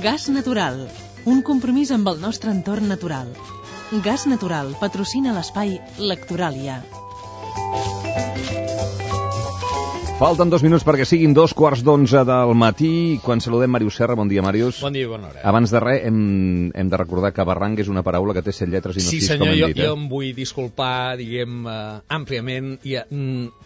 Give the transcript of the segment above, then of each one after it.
Gas Natural, un compromís amb el nostre entorn natural. Gas Natural patrocina l'espai Lectoràlia. Falten 2 minuts perquè siguin 2:15 del matí. Quan saludem Màrius Serra, bon dia, Màrius. Bon dia i bona hora. Abans de res, hem de recordar que barranc és una paraula que té 7 lletres i no 6, sí, senyor, com hem dit. Jo em vull disculpar, diguem, àmpliament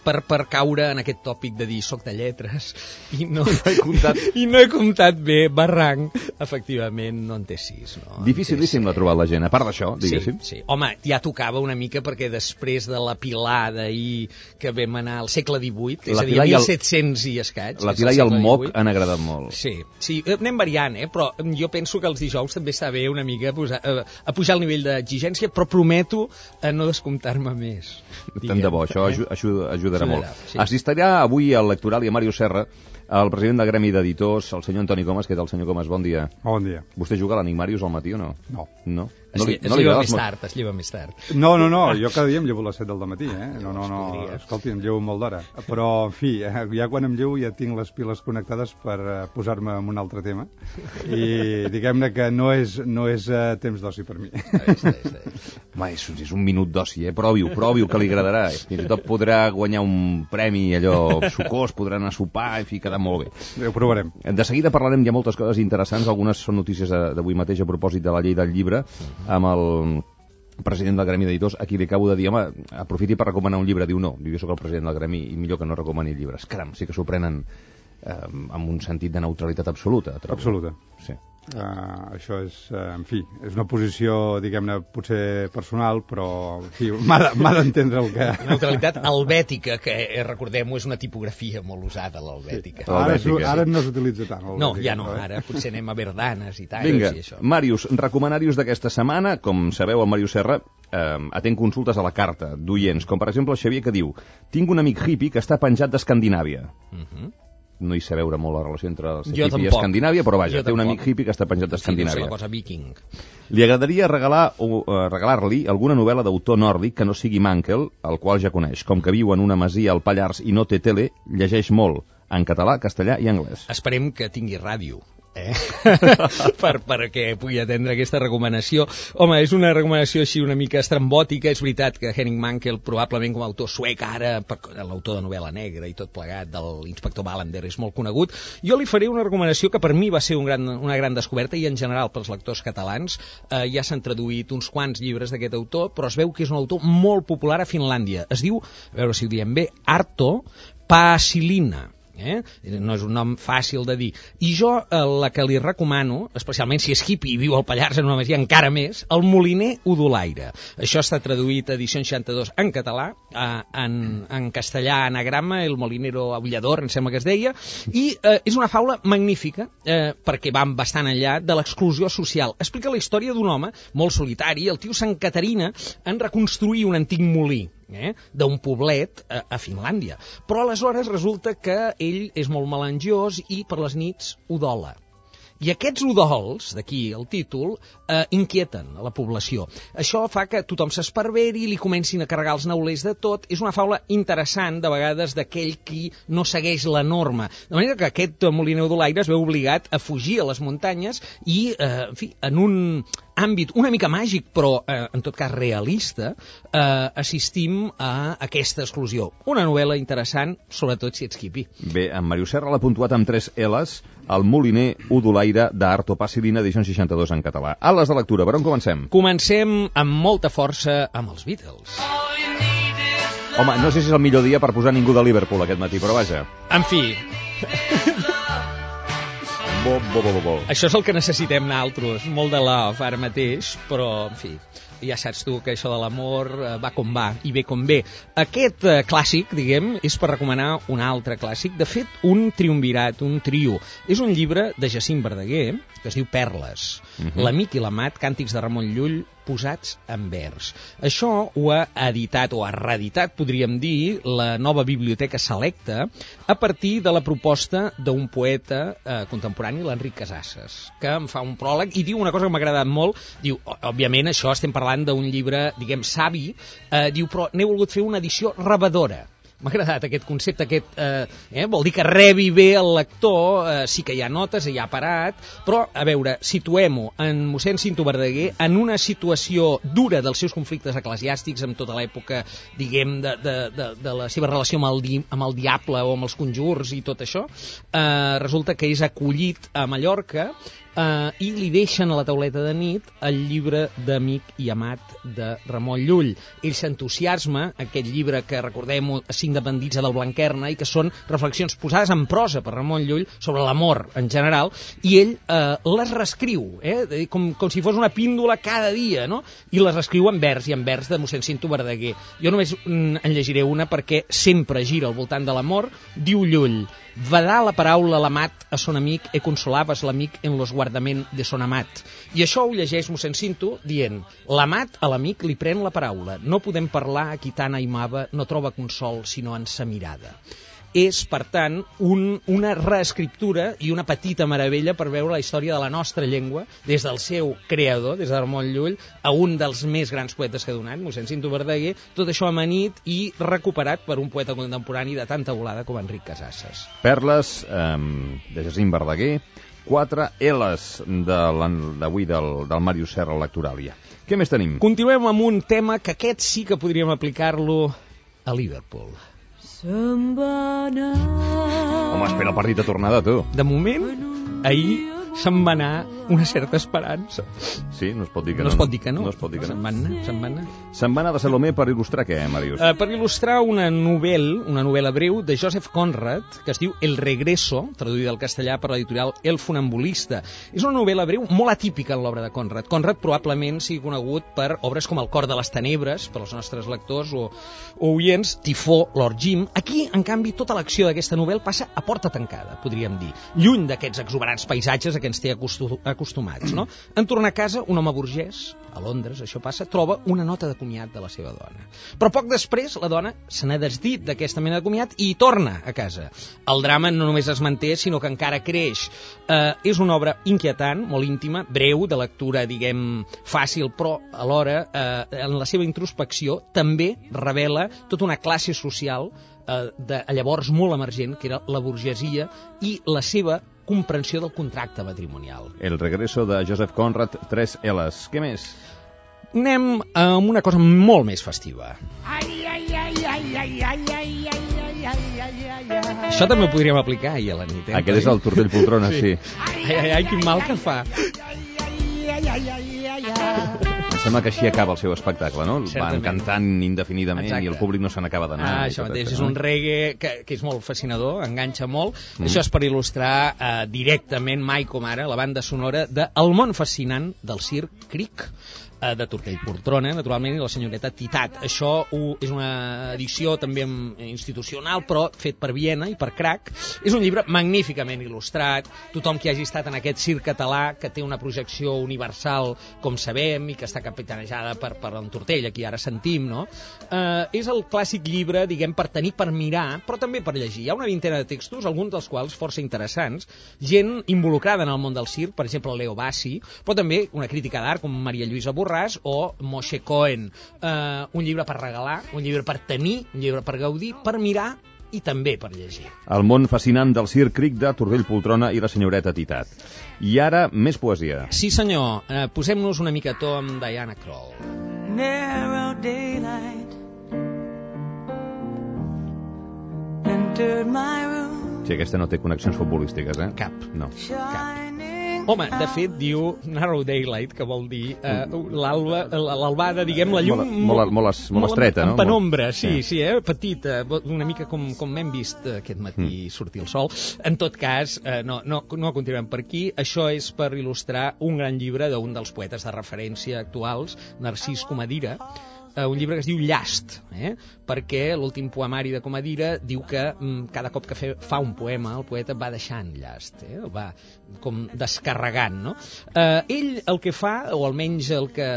per caure en aquest tòpic de dir soc de lletres i no he comptat bé. Barranc, efectivament, no en té 6. No? Dificilíssim l'ha trobat la gent, a part d'això, diguéssim. Sí. Home, ja tocava una mica perquè després de la Pilar d'ahir que vam anar al segle XVIII, és a dir, 1700 i escaig. La Pilar i el moc han agradat molt. Sí, anem variant, però jo penso que els dijous també està bé una mica a pujar el nivell d'exigència, però prometo no descomptar-me més. Tant de bo, això ajudarà molt. Sí. Assistirà avui al Lectoral i a Màrius Serra el president del Gremi d'Editors, el senyor Antoni Comas. Què tal, senyor Comas? Bon dia. Bon dia. Vostè juga a l'Amic Màrius al matí o no? No. Es lleva més tard. No, jo cada dia em llevo a les 7 del matí, No, escolti, em llevo molt d'hora. Però, en fi, ja quan em llevo ja tinc les piles connectades per posar-me en un altre tema. I diguem-ne que no és temps d'oci per mi. Home, és un minut d'oci, Provi-ho, que li agradarà. Fins i tot podrà guanyar un premi allò sucós, podrà anar a sopar, en fi, quedar molt bé. Ho provarem. De seguida parlarem, hi ha moltes coses interessants, algunes són notícies d'avui mateix a propòsit de la llei del llibre, amb el president del Gremi d'Editors, a qui li acabo de dir, home, aprofiti per recomanar un llibre. Diu, no, jo soc el president del Gremi i millor que no recomani llibres. Caram, sí que s'ho prenen amb un sentit de neutralitat absoluta. Absoluta. Sí. Això és, en fi, és una posició, diguem-ne, potser personal, però, en fi, m'ha d'entendre el que... Neutralitat helvètica, que recordem-ho, és una tipografia molt usada, l'helvètica. Ara no s'utilitza tant. No, ja no, ara potser anem a Verdanes i tal. Vinga, i això. Màrius, recomanarius d'aquesta setmana. Com sabeu, el Màrius Serra atén consultes a la carta d'oients, com per exemple el Xavier, que diu: tinc un amic hippie que està penjat d'Escandinàvia. No hi sé veure molt la relació entre el hippie i Escandinàvia, però vaja, té un amic hippie que està penjat d'Escandinàvia. Sí, la cosa viking. Li agradaria regalar-li alguna novel·la d'autor nòrdic que no sigui Mankell, el qual ja coneix. Com que viu en una masia al Pallars i no té tele, llegeix molt, en català, castellà i anglès. Esperem que tingui ràdio. perquè pugui atendre aquesta recomanació. Home, és una recomanació així una mica estrambòtica. És veritat que Henning Mankell, probablement com a autor suec ara, l'autor de novel·la negra i tot plegat de l'inspector Wallander, és molt conegut. Jo li faré una recomanació que per mi va ser una gran descoberta, i en general pels lectors catalans. Ja s'han traduït uns quants llibres d'aquest autor, però es veu que és un autor molt popular a Finlàndia. Es diu, a veure si ho diem bé, Arto Paasilinna. No és un nom fàcil de dir. I jo la que li recomano, especialment si és hippie i viu al Pallars en una masia encara més, El moliner udolaire. Això està traduït a edició 62 en català, en castellà anagrama, El molinero aullador, em sembla que es deia, i és una faula magnífica, perquè va bastant enllà de l'exclusió social. Explica la història d'un home molt solitari, el tio Sant Caterina, en reconstruir un antic molí d'un poblet a Finlàndia. Però aleshores resulta que ell és molt melangiós i per les nits udola. I aquests udols, d'aquí el títol, inquieten a la població. Això fa que tothom s'esparveri, li comencin a carregar els neulers de tot. És una faula interessant, de vegades, d'aquell qui no segueix la norma. De manera que aquest moliner udolaire es veu obligat a fugir a les muntanyes i, en fi, en un àmbit una mica màgic, però en tot cas realista, assistim a aquesta exclusió. Una novel·la interessant, sobretot si ets hippie. Bé, en Màrius Serra l'ha puntuat amb 3 L's, El moliner udolaire d'Arto Paasilinna, edició 62 en català. Ales de lectura, per on comencem? Comencem amb molta força amb els Beatles. Home, no sé si és el millor dia per posar ningú de Liverpool aquest matí, però vaja. En fi... Bo. Això és el que necessitem nosaltres, molt de love ara mateix, però, en fi, ja saps tu que això de l'amor va com va i ve com ve. Aquest clàssic, diguem, és per recomanar un altre clàssic, de fet, un triumvirat, un trio. És un llibre de Jacint Verdaguer, que es diu Perles. L'amic i l'amat, càntics de Ramon Llull, posats en vers. Això ho ha editat, o ha reeditat, podríem dir, la Nova Biblioteca Selecta, a partir de la proposta d'un poeta contemporani, l'Enric Casasses, que em fa un pròleg i diu una cosa que m'ha agradat molt. Diu, òbviament, això estem parlant d'un llibre, diguem, savi, diu, però n'he volgut fer una edició rebedora. M'ha agradat aquest concepte, vol dir que rebi bé el lector, sí que hi ha notes, hi ha parat, però, a veure, situem-ho en mossèn Cinto Verdaguer en una situació dura dels seus conflictes eclesiàstics amb tota l'època, diguem, de la seva relació amb el diable o amb els conjurs i tot això. Resulta que és acollit a Mallorca i li deixen a la tauleta de nit el llibre d'Amic i Amat de Ramon Llull. Ell s'entusiasma, aquest llibre que recordem-ho, 5 de bandits del Blanquerna, i que són reflexions posades en prosa per Ramon Llull sobre l'amor en general, i ell les reescriu, com si fos una píndola cada dia, no? I les reescriu en vers, i en vers de mossèn Cinto Verdaguer. Jo només en llegiré una perquè sempre gira al voltant de l'amor. Diu Llull: vedà la paraula l'amat a son amic e consolaves l'amic en los guardament de son amat. I això ho llegeix mossèn Cinto dient: l'amat a l'amic li pren la paraula, no podem parlar a qui tant aimava, no troba consol sinó en sa mirada. És, per tant, una reescriptura i una petita meravella per veure la història de la nostra llengua des del seu creador, des de Ramon Llull, a un dels més grans poetes que ha donat, mossèn Cinto Verdaguer, tot això amanit i recuperat per un poeta contemporani de tanta volada com Enric Casasses. Perles de Jacint Verdaguer, 4 L's d'avui del Màrius Serra Lectoràlia. Què més tenim? Continuem amb un tema que aquest sí que podríem aplicar-lo a Liverpool. Home, espera el partit de tornada, tu. De moment, ahir se'n va anar una certa esperança. Sí, no es pot dir que no. No es pot dir que no. No es pot dir que no. Se'n va anar. Se'n va anar de Salomé per il·lustrar què, Màrius? Per il·lustrar una novel·la breu de Joseph Conrad, que es diu El Regreso, traduïda al castellà per l'editorial El Funambulista. És una novel·la breu molt atípica en l'obra de Conrad. Conrad probablement sigui conegut per obres com El cor de les tenebres, per als nostres lectors o oients, Tifó, Lord Jim. Aquí, en canvi, tota l'acció d'aquesta novel·la passa a porta tancada, podríem dir. Lluny d'aquests exuberants paisatges a què ens té acostumats, no? En tornar a casa, un home burgès, a Londres, això passa, troba una nota de comiat de la seva dona. Però poc després, la dona se n'ha desdit d'aquesta mena de comiat i torna a casa. El drama no només es manté, sinó que encara creix. És una obra inquietant, molt íntima, breu, de lectura, diguem, fàcil, però alhora, en la seva introspecció, també revela tota una classe social de llavors molt emergent, que era la burgesia, i la seva comprensió del contracte matrimonial. El Regreso de Joseph Conrad, 3 L's. Què més? Anem amb una cosa molt més festiva. Això també ho podríem aplicar ahir a la nit. Aquest és el Tortell Poltrona, sí. Ai, quin mal que fa. Em sembla que així acaba el seu espectacle, no? Van cantant indefinidament. Exacte. I el públic no se n'acaba d'anar. Això mateix, és un reggae que és molt fascinador, enganxa molt. Això és per il·lustrar directament, mai com ara, la banda sonora de El món fascinant del circ Cric, de Tortell Poltrona, naturalment, i la senyoreta Titat. Això és una edició també institucional, però fet per Viena i per Crac. És un llibre magníficament il·lustrat. Tothom que hagi estat en aquest circ català, que té una projecció universal, com sabem, i que està capitanejada per en Tortell, aquí ara sentim, no? És el clàssic llibre, diguem, per tenir, per mirar, però també per llegir. Hi ha una vintena de textos, alguns dels quals força interessants, gent involucrada en el món del circ, per exemple, Leo Bassi, però també una crítica d'art com Maria Lluïsa Borràs o Moshe Cohen. Un llibre per regalar, un llibre per tenir, un llibre per gaudir, per mirar i també per llegir. El món fascinant del circ Cric de Tortell Poltrona i la senyoreta Titat. I ara, més poesia. Sí, senyor. Posem-nos una mica a to amb Diana Krall. Narrow daylight entered my room. Sí, aquesta no té connexions futbolístiques, Cap. No. Cap. Home, de fet, diu Narrow Daylight, que vol dir l'albada, diguem, la llum... Molt estreta, no? En penombra, sí, petita, una mica com hem vist aquest matí sortir el sol. En tot cas, no continuem per aquí. Això és per il·lustrar un gran llibre d'un dels poetes de referència actuals, Narcís Comadira, un llibre que es diu Llast, perquè l'últim poemari de Comadira diu que cada cop que fa un poema el poeta va deixant llast, el va com descarregant, no? Ell el que fa, o almenys el que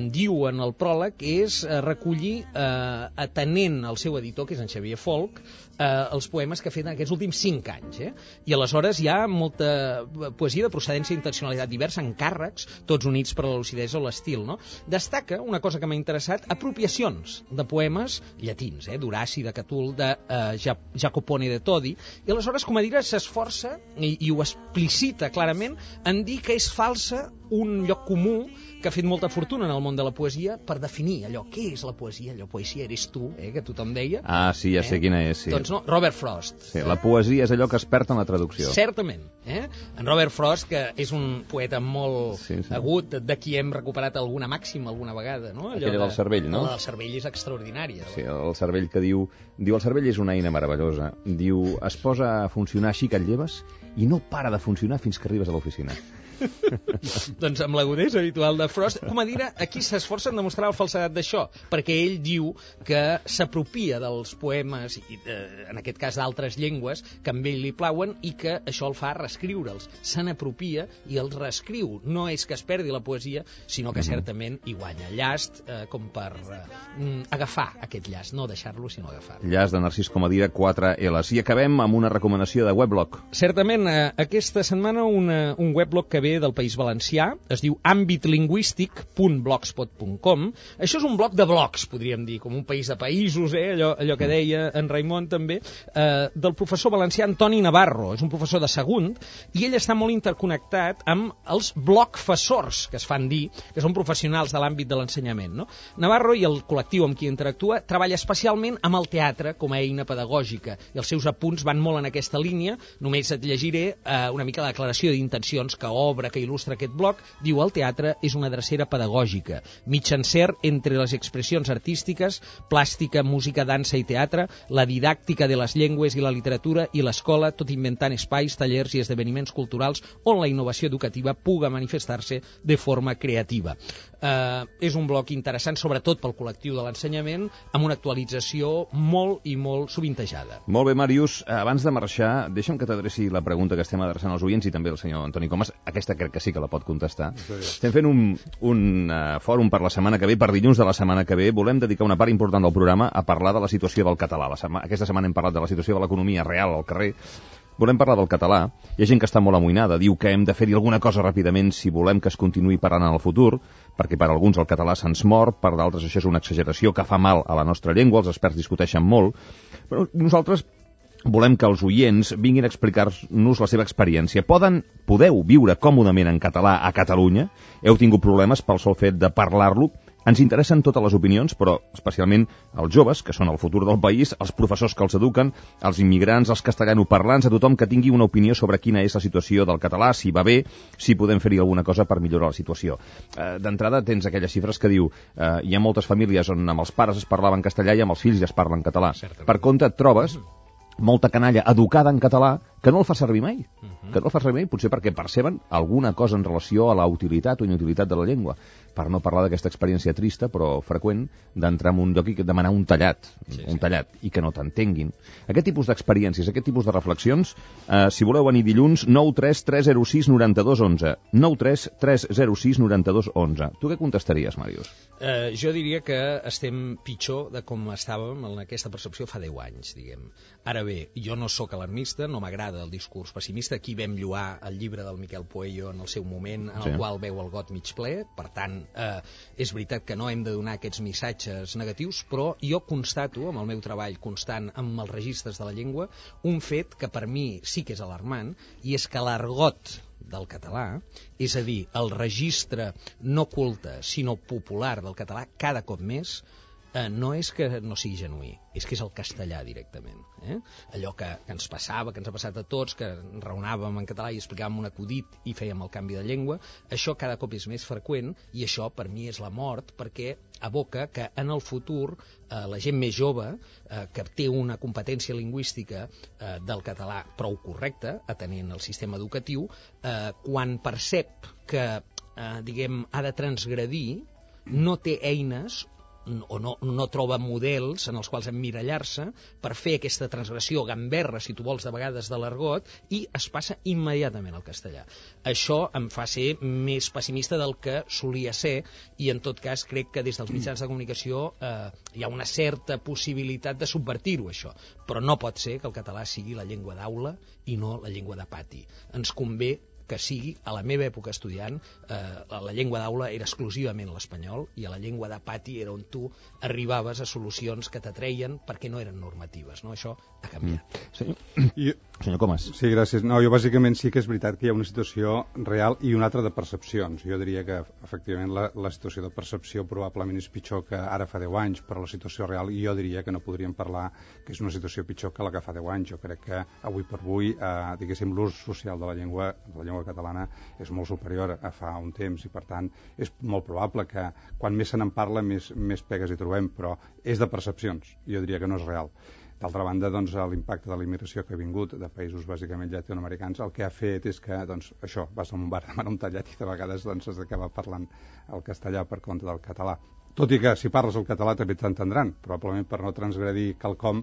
diu en el pròleg, és recollir, atenent al seu editor, que és en Xavier Folch, els poemes que ha fet en aquests últims 5 anys. I aleshores hi ha molta poesia de procedència i intencionalitat diversa, encàrrecs, tots units per la lucidesa o l'estil, no? Destaca una cosa que m'ha interessat, expulsat apropiacions de poemes llatins, d'Horaci, de Catul, de Jacopone de Todi, i aleshores Comadira s'esforça i ho explicita clarament en dir que és falsa un lloc comú que ha fet molta fortuna en el món de la poesia per definir allò, què és la poesia? Allò, poesia eres tu, que tothom deia. Ah, sí, ja sé quina és, sí. Doncs no, Robert Frost. Sí, la poesia és allò que es perd en la traducció. Certament. En Robert Frost, que és un poeta molt agut, de qui hem recuperat alguna màxima alguna vegada, no? Aquella del cervell, no? La del cervell és extraordinària. Sí, el cervell que diu el cervell és una eina meravellosa. Diu, es posa a funcionar així que et lleves i no para de funcionar fins que arribes a l'oficina. Doncs amb l'agudesa habitual de Frost, Comadira aquí s'esforça en demostrar la falsedat d'això, perquè ell diu que s'apropia dels poemes, en aquest cas d'altres llengües, que amb ell li plauen, i que això el fa reescriure'ls. Se n'apropia i els reescriu. No és que es perdi la poesia, sinó que certament hi guanya. Llast com per agafar aquest llast, no deixar-lo, sinó agafar-lo. Llast de Narcís Comadira, 4 L's. I acabem amb una recomanació de weblog. Certament, aquesta setmana un weblog que ve del País Valencià, es diu ambitlingüístic.blogspot.com. Això és un bloc de blogs, podríem dir, com un país de països, allò que deia en Raimon també, del professor valencià Antoni Navarro. És un professor de segon, i ell està molt interconnectat amb els blogfessors, que es fan dir, que són professionals de l'àmbit de l'ensenyament, no? Navarro i el col·lectiu amb qui interactua treballa especialment amb el teatre com a eina pedagògica, i els seus apunts van molt en aquesta línia. Només et llegiré una mica la declaració d'intencions que obre, que il·lustra aquest bloc. Diu: el teatre és una drecera pedagògica, mitjancer entre les expressions artístiques, plàstica, música, dansa i teatre, la didàctica de les llengües i la literatura i l'escola, tot inventant espais, tallers i esdeveniments culturals on la innovació educativa puga manifestar-se de forma creativa. És un bloc interessant, sobretot pel col·lectiu de l'ensenyament, amb una actualització molt i molt sovintejada. Molt bé, Màrius, abans de marxar, deixa'm que t'adreci la pregunta que estem adreçant als oients i també al senyor Antoni Comas. Aquesta crec que sí que la pot contestar. Estem fent un fòrum per la setmana que ve, per dilluns de la setmana que ve. Volem dedicar una part important del programa a parlar de la situació del català. Aquesta setmana hem parlat de la situació de l'economia real al carrer. Volem parlar del català. Hi ha gent que està molt amoïnada, diu que hem de fer-hi alguna cosa ràpidament si volem que es continuï parlant en el futur, perquè per alguns el català se'ns mor, per d'altres això és una exageració que fa mal a la nostra llengua, els experts discuteixen molt, però nosaltres volem que els oients vinguin a explicar-nos la seva experiència. Podeu viure còmodament en català a Catalunya? Heu tingut problemes pel sol fet de parlar-lo? Ens interessen totes les opinions, però especialment els joves, que són el futur del país, els professors que els eduquen, els immigrants, els castellanoparlants, a tothom que tingui una opinió sobre quina és la situació del català, si va bé, si podem fer-hi alguna cosa per millorar la situació. D'entrada tens aquelles xifres que diu hi ha moltes famílies on amb els pares es parlava en castellà i amb els fills ja es parla en català. Per contra, et trobes molta canalla educada en català que no el fa servir mai. Que no el fa servir mai, potser perquè perceben alguna cosa en relació a la utilitat o inutilitat de la llengua. Per no parlar d'aquesta experiència trista, però freqüent, d'entrar en un lloc i demanar un tallat, i que no t'entenguin. Aquest tipus d'experiències, aquest tipus de reflexions, si voleu venir dilluns, 9 3 306 92 11. 9 3 306 92 11. Tu què contestaries, Màrius? Jo diria que estem pitjor de com estàvem en aquesta percepció fa 10 anys, diguem. Ara bé, jo no sóc alarmista, no m'agrada el discurs pessimista. Aquí vam lloar el llibre del Miquel Pueyo en el seu moment, en el qual veu el got mig ple. Per tant, és veritat que no hem de donar aquests missatges negatius, però jo constato, amb el meu treball constant amb els registres de la llengua, un fet que per mi sí que és alarmant, i és que l'argot del català, és a dir, el registre no culte, sinó popular del català, cada cop més, no és que no sigui genuí, és que és el castellà directament. Allò que ens passava, que ens ha passat a tots, que raonàvem en català i explicàvem un acudit i fèiem el canvi de llengua, això cada cop és més freqüent, i això per mi és la mort, perquè aboca que en el futur la gent més jove, que té una competència lingüística del català prou correcta, atenent el sistema educatiu, quan percep que diguem, ha de transgredir, no té eines o no troba models en els quals emmirallar-se per fer aquesta transgressió gamberra, si tu vols, de vegades de l'argot, i es passa immediatament al castellà. Això em fa ser més pessimista del que solia ser, i en tot cas crec que des dels mitjans de comunicació hi ha una certa possibilitat de subvertir-ho, això. Però no pot ser que el català sigui la llengua d'aula i no la llengua de pati. Ens convé que sigui, a la meva època estudiant, la llengua d'aula era exclusivament l'espanyol i a la llengua de pati era on tu arribaves a solucions que t'atreien perquè no eren normatives, no? Això ha canviat. Senyor Comas. Sí, gràcies. No, jo bàsicament sí que és veritat que hi ha una situació real i una altra de percepcions. Jo diria que efectivament la situació de percepció probablement és pitjor que ara fa 10 anys, però la situació real jo diria que no podríem parlar que és una situació pitjor que la que fa 10 anys. Jo crec que avui per avui, diguéssim, l'ús social de la llengua catalana és molt superior a fa un temps i per tant és molt probable que quan més se n'en parla més pegues hi trobem, però és de percepcions. Jo diria que no és real. D'altra banda, doncs, l'impacte de la immigració que ha vingut de països bàsicament llatinoamericans el que ha fet és que, doncs, això, vas a un bar a demanar un tallat i de vegades doncs, has d'acabar parlant el castellà per compte del català. Tot i que si parles el català també t'entendran, probablement per no transgredir quelcom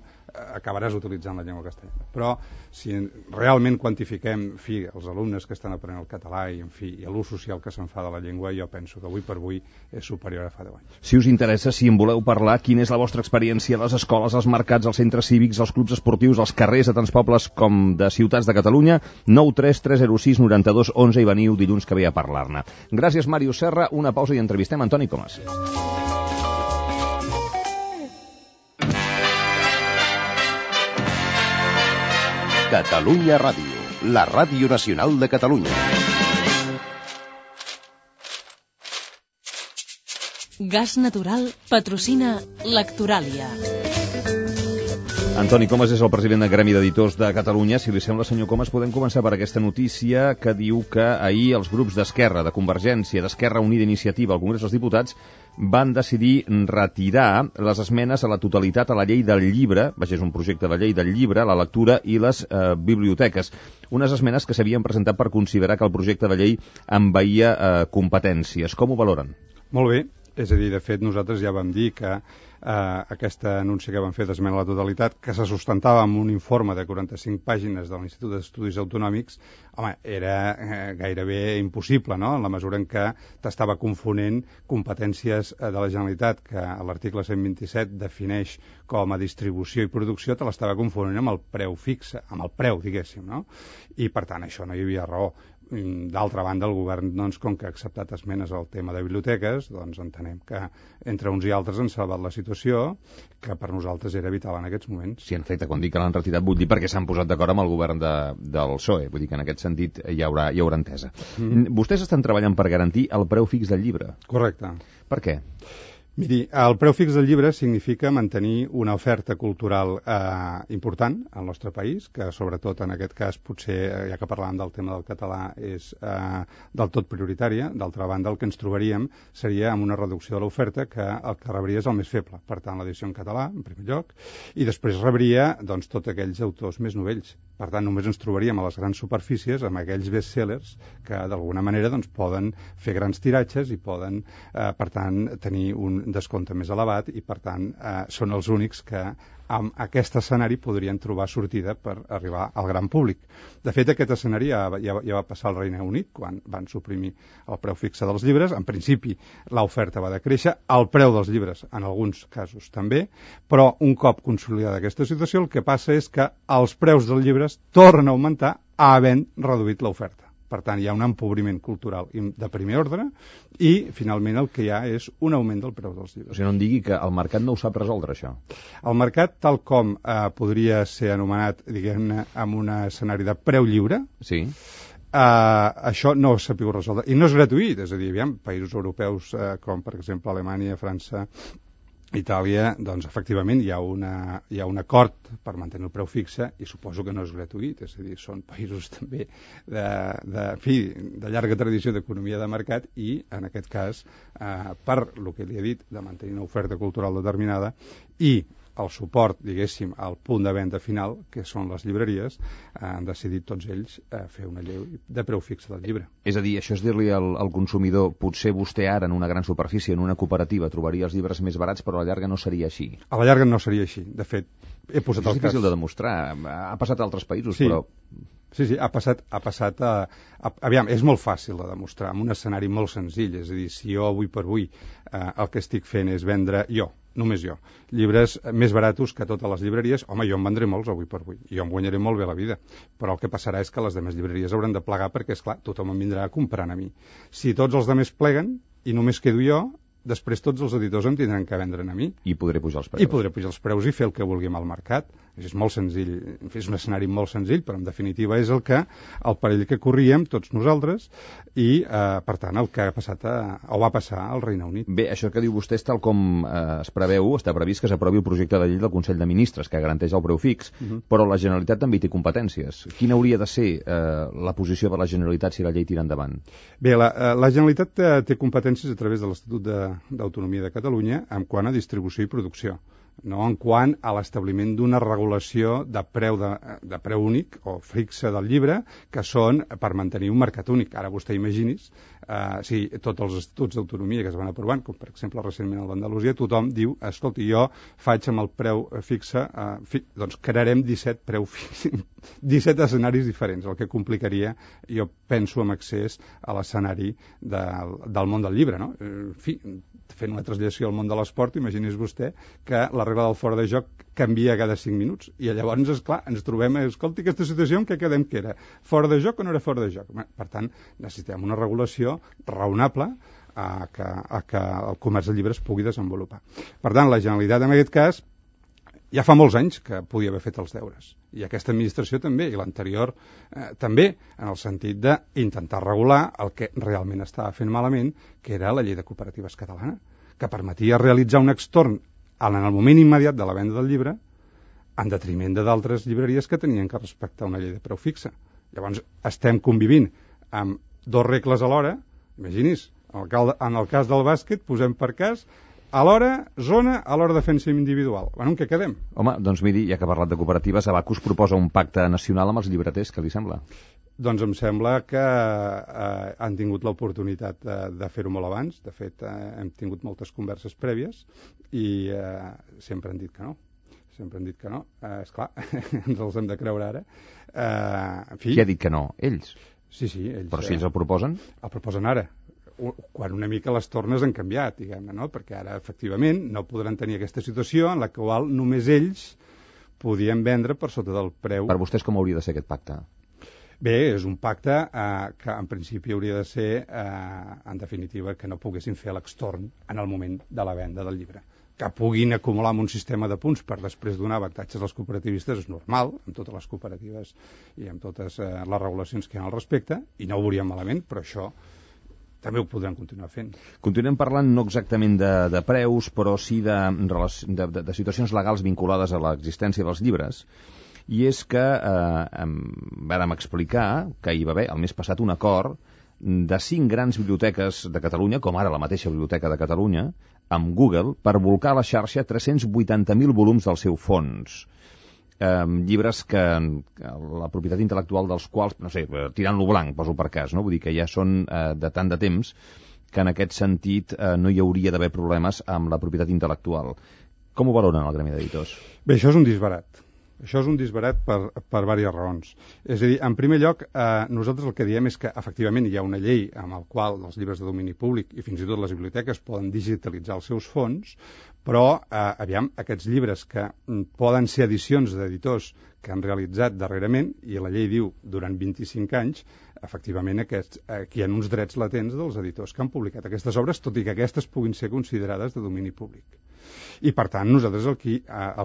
acabaràs utilitzant la llengua castellana. Però si realment quantifiquem els alumnes que estan aprenent el català i l'ús social que se'n fa de la llengua, jo penso que avui per avui és superior a fa 10 anys. Si us interessa, si en voleu parlar, quina és la vostra experiència a les escoles, als mercats, als centres cívics, als clubs esportius, als carrers de tants pobles com de ciutats de Catalunya, 93306 92 11 i veniu dilluns que ve a parlar-ne. Gràcies, Màrius Serra. Una pausa i entrevistem Antoni Comas. Catalunya Ràdio, la ràdio nacional de Catalunya. Gas Natural patrocina Lectoràlia. Antoni Comas és el president del Gremi d'Editors de Catalunya. Si li sembla, senyor Comas, podem començar per aquesta notícia que diu que ahir els grups d'Esquerra, de Convergència, d'Esquerra Unida Iniciativa al Congrés dels Diputats van decidir retirar les esmenes a la totalitat a la llei del llibre, és un projecte de llei del llibre, la lectura i les biblioteques. Unes esmenes que s'havien presentat per considerar que el projecte de llei envaïa competències. Com ho valoren? Molt bé. És a dir, de fet, nosaltres ja vam dir que aquesta anunci que van fer d'esmena a la totalitat, que se sustentava amb un informe de 45 pàgines de l'Institut d'Estudis Autonòmics, home, era gairebé impossible, no?, en la mesura en què t'estava confonent competències de la Generalitat, que l'article 127 defineix com a distribució i producció, te l'estava confonent amb el preu fixe, amb el preu, diguéssim, no? I, per tant, això no hi havia raó. D'altra banda, el govern, doncs, com que ha acceptat esmenes al tema de biblioteques, doncs entenem que entre uns i altres han salvat la situació, que per nosaltres era vital en aquests moments. Sí, en efecte, quan dic que l'han retirat vull dir perquè s'han posat d'acord amb el govern del PSOE, vull dir que en aquest sentit hi haurà entesa. Vostès estan treballant per garantir el preu fix del llibre. Correcte. Per què? Miri, el preu fix del llibre significa mantenir una oferta cultural important al nostre país, que sobretot en aquest cas potser, ja que parlàvem del tema del català, és del tot prioritària. D'altra banda, el que ens trobaríem seria amb una reducció de l'oferta que el que rebria és el més feble. Per tant, l'edició en català, en primer lloc, i després rebria doncs, tots aquells autors més novells. Per tant, només ens trobaríem a les grans superfícies amb aquells bestsellers que d'alguna manera doncs, poden fer grans tiratges i poden, per tant, tenir un descompte més elevat i, per tant, són els únics que amb aquest escenari podrien trobar sortida per arribar al gran públic. De fet, aquest escenari ja va passar al Regne Unit, quan van suprimir el preu fixe dels llibres. En principi, l'oferta va decréixer, el preu dels llibres, en alguns casos també, però un cop consolidada aquesta situació, el que passa és que els preus dels llibres tornen a augmentar havent reduït l'oferta. Per tant, hi ha un empobriment cultural de primer ordre i, finalment, el que hi ha és un augment del preu dels llibres. O sigui, no em digui que el mercat no ho sap resoldre, això. El mercat, tal com podria ser anomenat, diguem-ne, amb un escenari de preu lliure, sí. Això no s'ha pogut resoldre. I no és gratuït, és a dir, aviam, països europeus com, per exemple, Alemanya, França, Itàlia, doncs efectivament hi ha un acord per mantenir el preu fixe i suposo que no és gratuït, és a dir, són països també de llarga tradició d'economia de mercat i, en aquest cas, per el que li he dit, de mantenir una oferta cultural determinada i el suport, diguéssim, al punt de venda final, que són les llibreries, han decidit tots ells fer una llei de preu fixe del llibre. És a dir, això és dir-li al consumidor, potser vostè ara en una gran superfície, en una cooperativa, trobaria els llibres més barats, però a la llarga no seria així. A la llarga no seria així. De fet, he posat el cas. És difícil de demostrar. Ha passat a altres països, sí. Però... Sí, ha passat aviam, és molt fàcil de demostrar, amb un escenari molt senzill, és a dir, si jo avui per avui el que estic fent és vendre jo, només jo, llibres més baratos que totes les llibreries. Home, jo en vendré molts avui per avui, jo em guanyaré molt bé la vida, però el que passarà és que les demés llibreries hauran de plegar perquè, esclar, tothom em vindrà comprant a mi. Si tots els demés pleguen i només quedo jo, després tots els editors em tindran que vendre a mi. I podré pujar els preus. I podré pujar els preus i fer el que vulgui amb el mercat. És molt senzill, és un escenari molt senzill, però en definitiva és el perill que corríem tots nosaltres i, per tant, el que ha passat o va passar al Regne Unit. Bé, això que diu vostè és tal com es preveu, està previst que s'aprovi el projecte de llei del Consell de Ministres, que garanteix el preu fix, però la Generalitat també hi té competències. Quina hauria de ser la posició de la Generalitat si la llei tira endavant? Bé, la Generalitat té competències a través de l'Estatut d'Autonomia de Catalunya en quant a distribució i producció, no en quant a l'establiment d'una regulació de preu únic o fixe del llibre, que són per mantenir un mercat únic. Ara vostè imagini's, tots els estatuts d'autonomia que es van aprovant, com per exemple recentment el d'Andalusia, tothom diu, escolti, jo faig amb el preu fixe, doncs crearem 17 escenaris diferents, el que complicaria, jo penso, amb accés a l'escenari del món del llibre, no? En fi, fent una traslació al món de l'esport, imagini's vostè que la regla del fora de joc canvia cada 5 minuts. I llavors, esclar, ens trobem, escolti, aquesta situació en què quedem que era fora de joc o no era fora de joc? Per tant, necessitem una regulació raonable a que el comerç de llibres pugui desenvolupar. Per tant, la Generalitat, en aquest cas, ja fa molts anys que podia haver fet els deures. I aquesta administració també, i l'anterior també, en el sentit d'intentar regular el que realment estava fent malament, que era la llei de cooperatives catalana, que permetia realitzar un extorn en el moment immediat de la venda del llibre en detriment d'altres llibreries que tenien que respectar una llei de preu fixa. Llavors, estem convivint amb dues regles alhora. Imagini's, en el cas del bàsquet, posem per cas a l'hora zona, a l'hora defensa individual. Bueno, en què quedem? Home, doncs miri, ja que ha parlat de cooperatives, Abacus proposa un pacte nacional amb els llibreters, què li sembla? Doncs em sembla que han tingut l'oportunitat de fer-ho molt abans. De fet, hem tingut moltes converses prèvies i sempre han dit que no. Sempre han dit que no. Esclar, ens els hem de creure ara. En fi... Qui ha dit que no? Ells? Sí, ells. Però si ells el proposen? El proposen ara. Quan una mica les tornes han canviat, diguem-ne, no? Perquè ara, efectivament, no podran tenir aquesta situació en la qual només ells podien vendre per sota del preu. Per vostès com hauria de ser aquest pacte? Bé, és un pacte que en principi hauria de ser, en definitiva, que no poguessin fer l'extorn en el moment de la venda del llibre. Que puguin acumular amb un sistema de punts per després donar avantatges als cooperativistes és normal, amb totes les cooperatives i amb totes les regulacions que hi ha al respecte, i no ho veuríem malament, però això també ho podran continuar fent. Continuem parlant no exactament de preus, però sí de situacions legals vinculades a l'existència dels llibres. I és que vàrem explicar que hi va haver el mes passat un acord de 5 grans biblioteques de Catalunya, com ara la mateixa Biblioteca de Catalunya, amb Google, per volcar a la xarxa 380.000 volums del seu fons. Llibres que la propietat intel·lectual dels quals, no sé, tirant-lo blanc, poso per cas, no? Vull dir que ja són de tant de temps que en aquest sentit no hi hauria d'haver problemes amb la propietat intel·lectual. Com ho valoren el Gremi d'Editors? Bé, això és un disbarat. Això és un disbarat per diverses raons. És a dir, en primer lloc, nosaltres el que diem és que efectivament hi ha una llei amb el qual els llibres de domini públic i fins i tot les biblioteques poden digitalitzar els seus fons, però, aviam, aquests llibres que poden ser edicions d'editors que han realitzat darrerament, i la llei diu durant 25 anys, efectivament aquí hi ha uns drets latents dels editors que han publicat aquestes obres, tot i que aquestes puguin ser considerades de domini públic. I, per tant, nosaltres el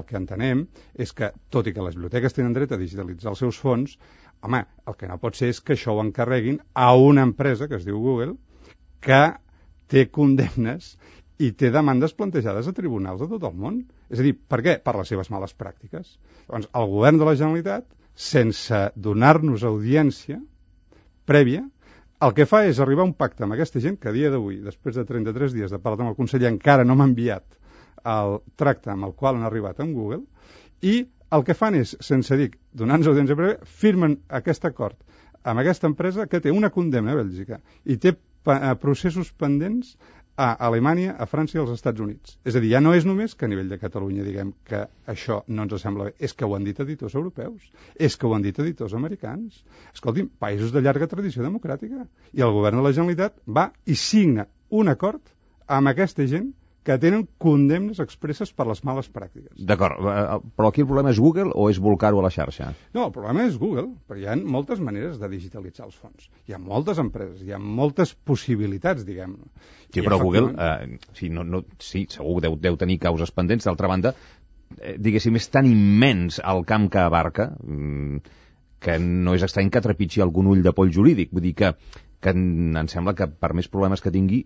que entenem és que, tot i que les biblioteques tenen dret a digitalitzar els seus fons, home, el que no pot ser és que això ho encarreguin a una empresa, que es diu Google, que té condemnes i té demandes plantejades a tribunals de tot el món. És a dir, per què? Per les seves males pràctiques. Doncs el govern de la Generalitat, sense donar-nos audiència prèvia, el que fa és arribar a un pacte amb aquesta gent que a dia d'avui, després de 33 dies de parlar amb el conseller, encara no m'ha enviat el tracte amb el qual han arribat amb Google, i el que fan és, sense dir, donant-nos audiència prèvia, firmen aquest acord amb aquesta empresa que té una condemna a Bèlgica i té processos pendents a Alemanya, a França i als Estats Units. És a dir, ja no és només que a nivell de Catalunya diguem que això no ens sembla bé, és que ho han dit editors europeus, és que ho han dit editors americans. Escolti'm, països de llarga tradició democràtica. I el govern de la Generalitat va i signa un acord amb aquesta gent que tenen condemnes expresses per les males pràctiques. D'acord, però aquí el problema és Google o és volcar-ho a la xarxa? No, el problema és Google, perquè hi ha moltes maneres de digitalitzar els fons. Hi ha moltes empreses, hi ha moltes possibilitats, diguem-ne. Sí, però Google, sí, segur que deu tenir causes pendents. D'altra banda, diguéssim, és tan immens el camp que abarca que no és estrany que trepitgi algun ull de poll jurídic. Vull dir que em sembla que per més problemes que tingui,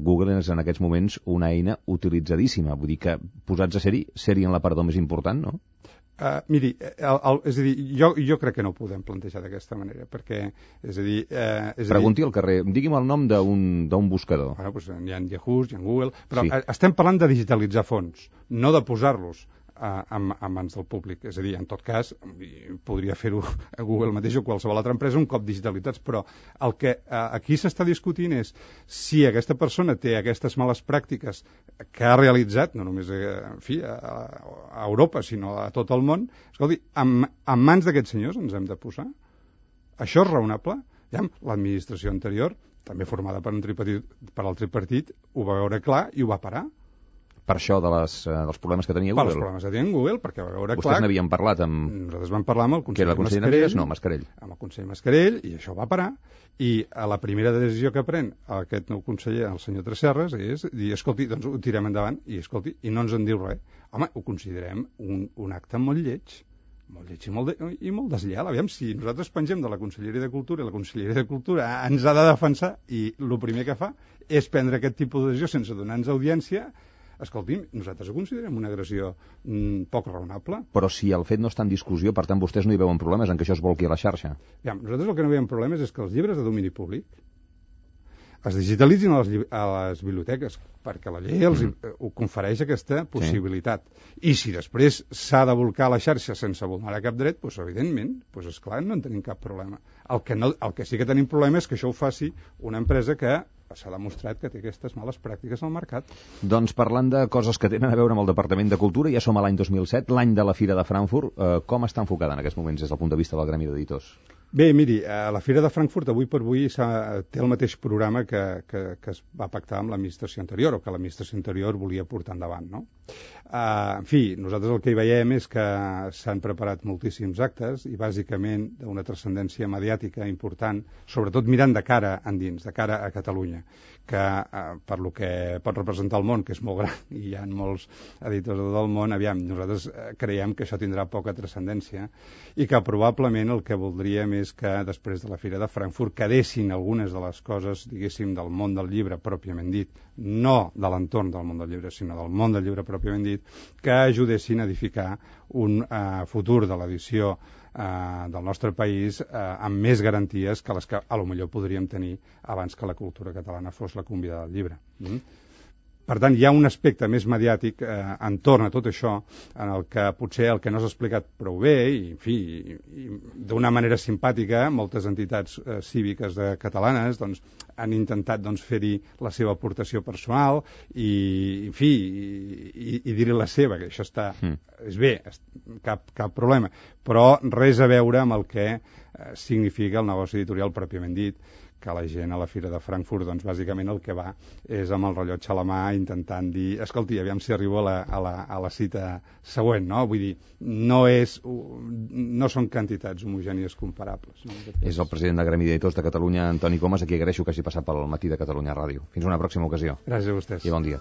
Google és en aquests moments una eina utilitzadíssima. Vull dir que posats a ser-hi serien l'aparador més important, no? Miri, és a dir, jo crec que no ho podem plantejar d'aquesta manera, perquè, és a dir... Pregunti al carrer, digui'm el nom d'un buscador. Bueno, doncs hi ha Yahoo, hi ha Google, però sí. Estem parlant de digitalitzar fons, no de posar-los a mans del públic. És a dir, en tot cas, podria fer-ho a Google mateix o qualsevol altra empresa un cop digitalitzats, però el que aquí s'està discutint és si aquesta persona té aquestes males pràctiques que ha realitzat, no només a Europa, sinó a tot el món, escolti, en mans d'aquests senyors ens hem de posar? Això és raonable? L'administració anterior, també formada per el tripartit, ho va veure clar i ho va parar. Per això dels problemes que tenia Google? Per els problemes que tenia Google, perquè va veure clar... Vostès n'havien parlat amb... Nosaltres vam parlar amb el conseller Mascarell. No, Mascarell. Amb el conseller Mascarell, i això va parar. I a la primera decisió que pren aquest nou conseller, el senyor Tresserras, és dir, escolti, doncs ho tirem endavant, i escolti, i no ens en diu res. Home, ho considerem un acte molt lleig i molt deslleial. Aviam, si nosaltres pengem de la Conselleria de Cultura i la Conselleria de Cultura ens ha de defensar i el primer que fa és prendre aquest tipus de decisió sense donar-nos audiència. Escolti'm, nosaltres ho considerem una agressió poc raonable. Però si el fet no està en discussió, per tant, vostès no hi veuen problemes en que això es volqui a la xarxa. Nosaltres el que no veiem problemes és que els llibres de domini públic es digitalitzin a les biblioteques, perquè la llei ho confereix aquesta possibilitat. I si després s'ha de volcar a la xarxa sense vulnerar cap dret, doncs evidentment, esclar, no en tenim cap problema. El que sí que tenim problema és que això ho faci una empresa que s'ha demostrat que té aquestes males pràctiques al mercat. Doncs parlant de coses que tenen a veure amb el Departament de Cultura, ja som a l'any 2007, l'any de la Fira de Frankfurt. Com està enfocada en aquests moments des del punt de vista del Gremi d'Editors? Bé, miri, la Fira de Frankfurt avui per avui té el mateix programa que es va pactar amb l'administració anterior, o que l'administració anterior volia portar endavant, no? En fi, nosaltres el que hi veiem és que s'han preparat moltíssims actes i bàsicament d'una transcendència mediàtica important, sobretot mirant de cara endins, de cara a Catalunya, que per lo que pot representar el món, que és molt gran, i hi ha molts editors de tot el món, aviam, nosaltres creiem que això tindrà poca transcendència i que probablement el que voldríem és que després de la Fira de Frankfurt quedessin algunes de les coses, diguéssim, del món del llibre pròpiament dit, no de l'entorn del món del llibre, sinó del món del llibre pròpiament dit, que ajudessin a edificar un futur de l'edició del nostre país amb més garanties que les que a lo millor podríem tenir abans que la cultura catalana fos la convidada del llibre. Per tant, hi ha un aspecte més mediàtic entorn a tot això, en el que potser el que no s'ha explicat prou bé, i, en fi, d'una manera simpàtica, moltes entitats cíviques catalanes doncs, han intentat fer-hi la seva aportació personal i, en fi, i dir-hi la seva, que això està... És bé, cap problema, però res a veure amb el que significa el negoci editorial pròpiament dit, que la gent a la Fira de Frankfurt, doncs, bàsicament el que va és amb el rellotge a la mà intentant dir, escolti, aviam si arribo a la cita següent, no? Vull dir, no són quantitats homogènies comparables. No? És el president del Gremi d'Editors de Catalunya, Antoni Comas, a qui agraeixo que hagi passat pel matí de Catalunya Ràdio. Fins una pròxima ocasió. Gràcies a vostès. I bon dia.